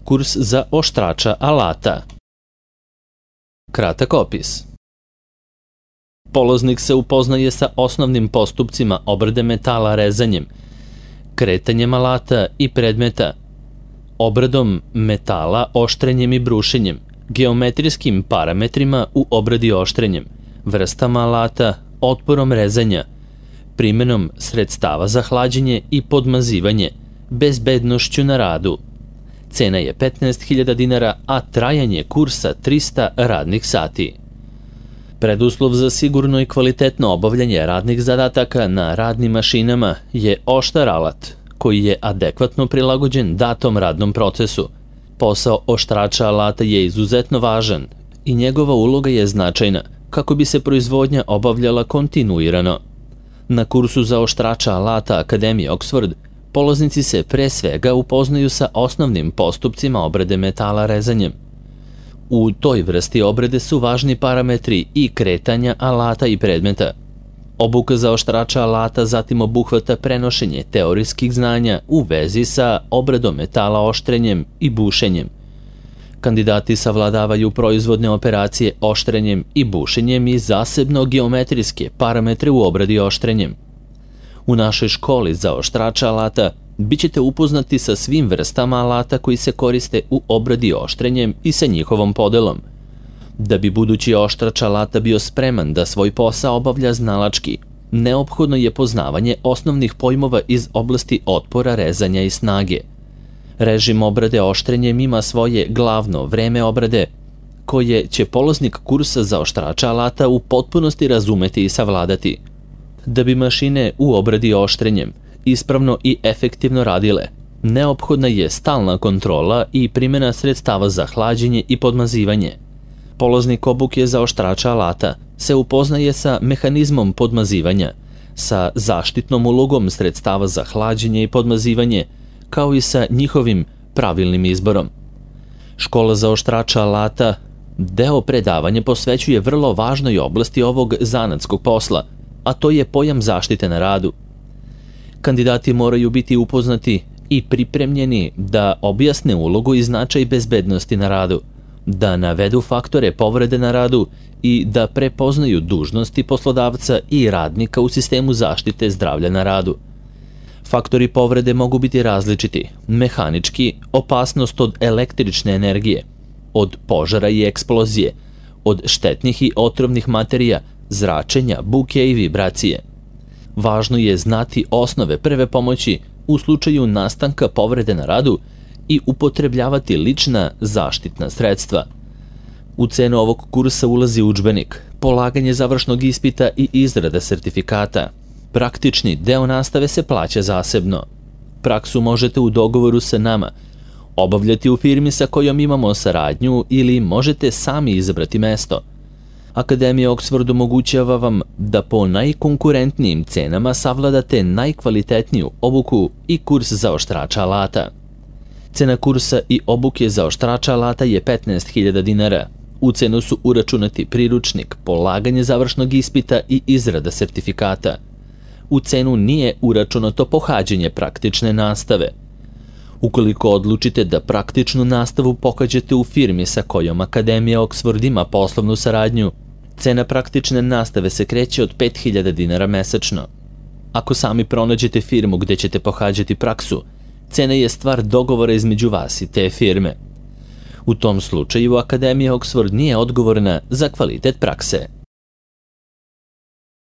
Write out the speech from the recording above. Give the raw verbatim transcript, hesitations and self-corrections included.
Kurs za oštrača alata. Kratak opis. Polaznik se upoznaje sa osnovnim postupcima obrade metala rezanjem, kretanjem alata i predmeta, obradom metala oštrenjem i brušenjem, geometrijskim parametrima u obradi oštrenjem, vrstama alata, otporom rezanja, primenom sredstava za hlađenje i podmazivanje, bezbednošću na radu. Cena je petnaest hiljada dinara, a trajanje kursa trista radnih sati. Preduslov za sigurno i kvalitetno obavljanje radnih zadataka na radnim mašinama je oštar alat, koji je adekvatno prilagođen datom radnom procesu. Posao oštrača alata je izuzetno važan i njegova uloga je značajna kako bi se proizvodnja obavljala kontinuirano. Na kursu za oštrača alata Akademije Oxford polaznici se pre svega upoznaju sa osnovnim postupcima obrade metala rezanjem. U toj vrsti obrade su važni parametri i kretanja alata i predmeta. Obuka za oštrača alata zatim obuhvata prenošenje teorijskih znanja u vezi sa obradom metala oštrenjem i bušenjem. Kandidati savladavaju proizvodne operacije oštrenjem i bušenjem i zasebno geometrijske parametre u obradi oštrenjem. U našoj školi za oštrača alata bit ćete upoznati sa svim vrstama alata koji se koriste u obradi oštrenjem i sa njihovom podelom. Da bi budući oštrač alata bio spreman da svoj posao obavlja znalački, neophodno je poznavanje osnovnih pojmova iz oblasti otpora, rezanja i snage. Režim obrade oštrenjem ima svoje glavno vreme obrade, koje će polaznik kursa za oštrača alata u potpunosti razumeti i savladati. Da bi mašine u obradi oštrenjem ispravno i efektivno radile, neophodna je stalna kontrola i primjena sredstava za hlađenje i podmazivanje. Polaznik obuke za oštrača alata se upoznaje sa mehanizmom podmazivanja, sa zaštitnom ulogom sredstava za hlađenje i podmazivanje, kao i sa njihovim pravilnim izborom. Škola za oštrača alata deo predavanja posvećuje vrlo važnoj oblasti ovog zanatskog posla, a to je pojam zaštite na radu. Kandidati moraju biti upoznati i pripremljeni da objasne ulogu i značaj bezbednosti na radu, da navedu faktore povrede na radu i da prepoznaju dužnosti poslodavca i radnika u sistemu zaštite zdravlja na radu. Faktori povrede mogu biti različiti: mehanički, opasnost od električne energije, od požara i eksplozije, od štetnih i otrovnih materija, zračenja, buke i vibracije. Važno je znati osnove prve pomoći u slučaju nastanka povrede na radu i upotrebljavati lična zaštitna sredstva. U cenu ovog kursa ulazi udžbenik, polaganje završnog ispita i izrada sertifikata. Praktični deo nastave se plaća zasebno. Praksu možete u dogovoru sa nama obavljati u firmi sa kojom imamo saradnju ili možete sami izabrati mesto. Akademija Oxford omogućava vam da po najkonkurentnijim cenama savladate najkvalitetniju obuku i kurs za oštrača alata. Cena kursa i obuke za oštrača alata je petnaest hiljada dinara. U cenu su uračunati priručnik, polaganje završnog ispita i izrada sertifikata. U cenu nije uračunato pohađanje praktične nastave. Ukoliko odlučite da praktičnu nastavu pohađate u firmi sa kojom Akademija Oxford ima poslovnu saradnju, cena praktične nastave se kreće od pet hiljada dinara mesečno. Ako sami pronađete firmu gde ćete pohađati praksu, cena je stvar dogovora između vas i te firme. U tom slučaju Akademija Oxford nije odgovorna za kvalitet prakse.